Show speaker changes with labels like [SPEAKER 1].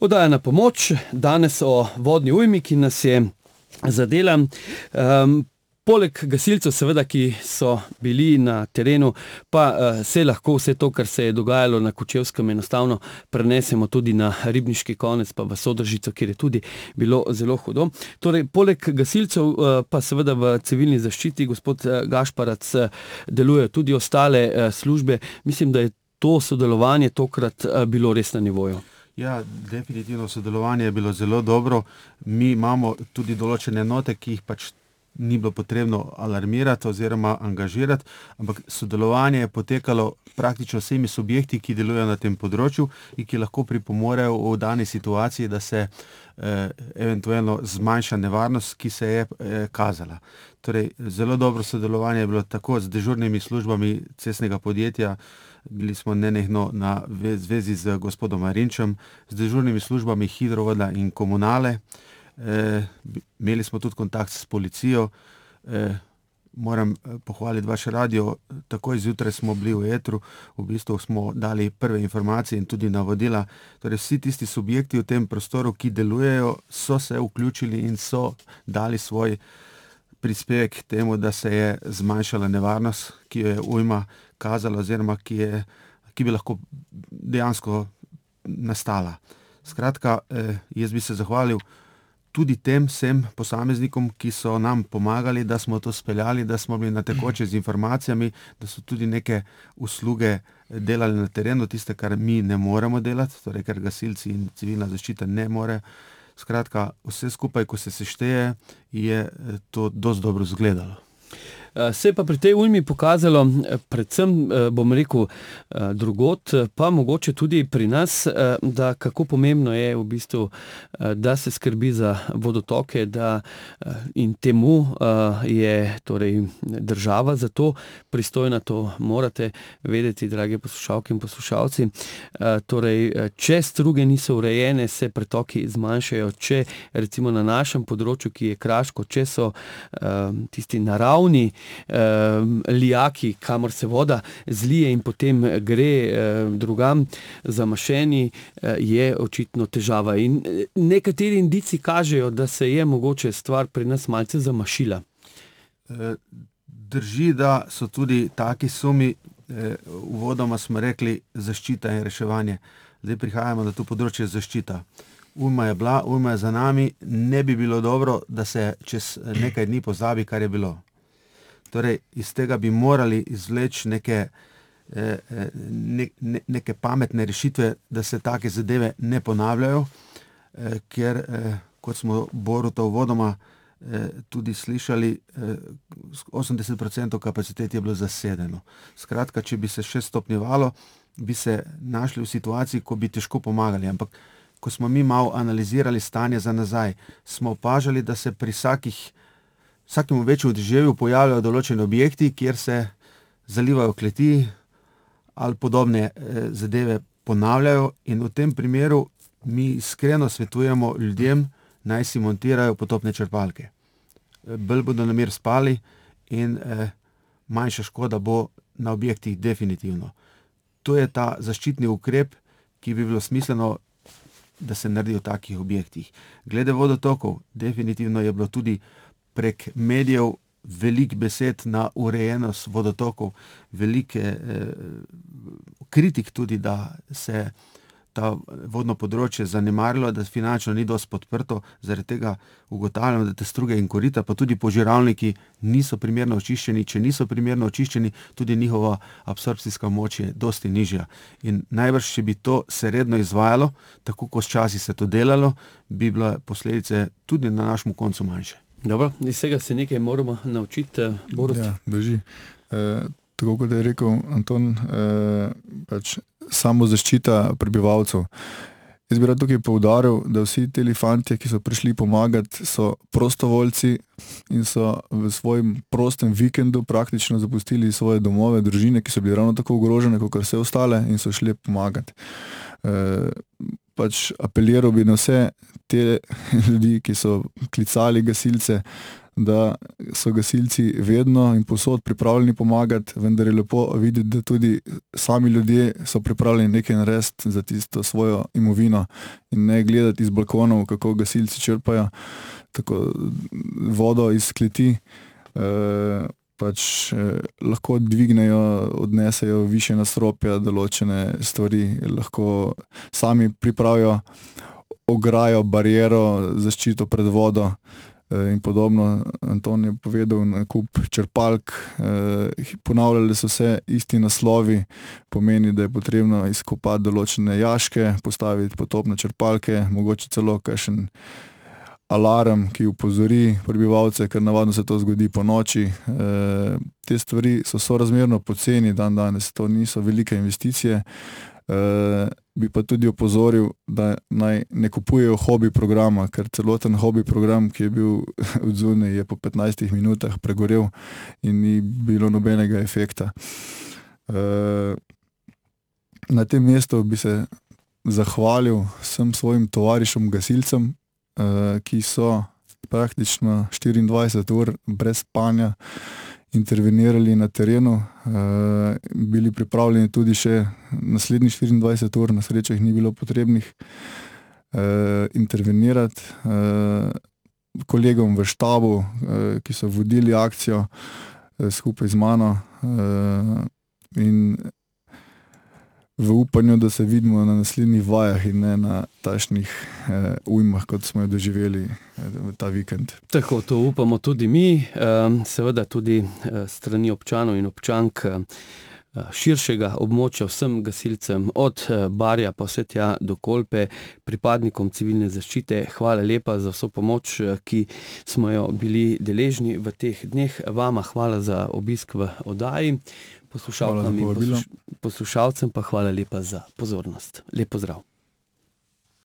[SPEAKER 1] Oddaja Na pomoč, danes o vodni ujmi, ki nas je zadela. Poleg gasilcev, seveda, ki so bili na terenu, pa se lahko vse to, kar se je dogajalo na Kočevskem, enostavno prenesemo tudi na Ribniški konec, pa v Sodražico, kjer je tudi bilo zelo hudo. Torej, poleg gasilcev, pa seveda v civilni zaščiti, gospod Gašparac, delujejo tudi ostale službe. Mislim, da je to sodelovanje tokrat bilo res na nivoju.
[SPEAKER 2] Ja, definitivno sodelovanje je bilo zelo dobro. Mi imamo tudi določene enote, ki jih pač ni bilo potrebno alarmirati oziroma angažirati, ampak sodelovanje je potekalo praktično vsemi subjekti, ki delujejo na tem področju in ki lahko pripomorejo v dani situaciji, da se eventualno zmanjša nevarnost, ki se je kazala. Torej, zelo dobro sodelovanje je bilo tako z dežurnimi službami cestnega podjetja, bili smo nenehno na zvezi z gospodom Marinčem, z dežurnimi službami Hidrovoda in Komunale. Imeli smo tudi kontakt s policijo. Moram pohvaliti vaš radio, takoj zjutraj smo bili v etru, v bistvu smo dali prve informacije in tudi navodila. Torej, vsi tisti subjekti v tem prostoru, ki delujejo, so se vključili in so dali svoj prispevek k temu, da se je zmanjšala nevarnost, ki jo je ujma kazala oziroma ki bi lahko dejansko nastala. Skratka, jaz bi se zahvalil tudi tem vsem posameznikom, ki so nam pomagali, da smo to speljali, da smo bili na tekoče z informacijami, da so tudi neke usluge delali na terenu, tiste, kar mi ne moremo delati, torej ker gasilci in civilna zaščita ne more. Skratka, vse skupaj, ko se sešteje, je to dosti dobro izgledalo.
[SPEAKER 1] Se je pa pri tej ujmi pokazalo, predvsem, bom rekel, drugod, pa mogoče tudi pri nas, da kako pomembno je v bistvu, da se skrbi za vodotoke, da in temu je torej država za to pristojna, to morate vedeti, drage poslušalke in poslušalci. Torej, če struge niso urejene, se pretoki zmanjšajo, če recimo na našem področju, ki je kraško, če so tisti naravni lijaki, kamor se voda zlije in potem gre drugam zamašeni, je očitno težava. In nekateri indici kažejo, da se je mogoče stvar pri nas malce zamašila.
[SPEAKER 2] Drži, da so tudi taki sumi, uvodoma smo rekli zaščita in reševanje. Zdaj prihajamo na to področje zaščita. Ujma je bila, ujma je za nami, ne bi bilo dobro, da se čez nekaj dni pozabi, kar je bilo. Torej, iz tega bi morali izvleči neke pametne rešitve, da se take zadeve ne ponavljajo, ker, kot smo Boruta uvodoma tudi slišali, 80% kapacitet je bilo zasedeno. Skratka, če bi se še stopnjevalo, bi se našli v situaciji, ko bi težko pomagali, ampak ko smo mi malo analizirali stanje za nazaj, smo opažali, da se pri vsakemu večjemu deževju pojavljajo določeni objekti, kjer se zalivajo kleti ali podobne zadeve ponavljajo, in v tem primeru mi iskreno svetujemo ljudem, naj si montirajo potopne črpalke. Bolj bodo na mir spali in manjša škoda bo na objektih definitivno. To je ta zaščitni ukrep, ki bi bilo smiselno, da se naredi v takih objektih. Glede vodotokov, definitivno je bilo tudi prek medijev veliko besed na urejenost vodotokov, velike kritik tudi, da se ta vodno področje zanemarilo, da finančno ni dosti podprto, zaradi tega ugotavljamo, da te struge in korita, pa tudi požiralniki niso primerno očiščeni. Če niso primerno očiščeni, tudi njihova absorpcijska moč je dosti nižja. In najbrž, če bi to se redno izvajalo, tako kot včasih se to delalo, bi bile posledice tudi na našem koncu manjše.
[SPEAKER 1] Dobro, iz tega se nekaj moramo naučiti, Borut.
[SPEAKER 3] Ja, drži. Tako kot je rekel Anton, pač samo zaščita prebivalcev. Jaz bi rad tukaj poudaril, da vsi ti fantje, ki so prišli pomagati, so prostovoljci in so v svojem prostem vikendu praktično zapustili svoje domove, družine, ki so bili ravno tako ogrožene, kot vse ostale, in so šli pomagati. Pač apeliral bi na vse te ljudi, ki so klicali gasilce, da so gasilci vedno in povsod pripravljeni pomagati, vendar je lepo videti, da tudi sami ljudje so pripravljeni nekaj narediti za tisto svojo imovino in ne gledati iz balkonov, kako gasilci črpajo tako vodo iz kleti, lahko dvignejo, odnesejo više nadstropja, določene stvari, lahko sami pripravijo ograjo, bariero, zaščito pred vodo in podobno. Anton je povedal na kup črpalk, ponavljali so se isti naslovi, pomeni, da je potrebno izkopati določene jaške, postaviti potopne črpalke, mogoče celo kakšen alarm, ki upozori prebivalce, ker navadno se to zgodi po noči. Te stvari so sorazmerno poceni danes, to niso velike investicije. Bi pa tudi opozoril, da naj ne kupujejo hobi programa, ker celoten hobi program, ki je bil odzunaj, je po 15 minutah pregorel in ni bilo nobenega efekta. Na tem mestu bi se zahvalil vsem svojim tovarišem gasilcem, ki so praktično 24 ur brez spanja intervenirali na terenu, bili pripravljeni tudi še naslednjih 24 ur, na srečo jih ni bilo potrebnih intervenirati. Kolegom v štabu, ki so vodili akcijo skupaj z mano in v upanju, da se vidimo na naslednjih vajah in ne na takšnih ujmah, kot smo jo doživeli v ta vikend.
[SPEAKER 1] Tako, to upamo tudi mi, seveda tudi strani občanov in občank širšega območja vsem gasilcem, od Barja pa vse tja do Kolpe, pripadnikom civilne zaščite. Hvala lepa za vso pomoč, ki smo jo bili deležni v teh dneh. Vama hvala za obisk v oddaji. Poslušalcem pa hvala lepa za pozornost. Lep pozdrav.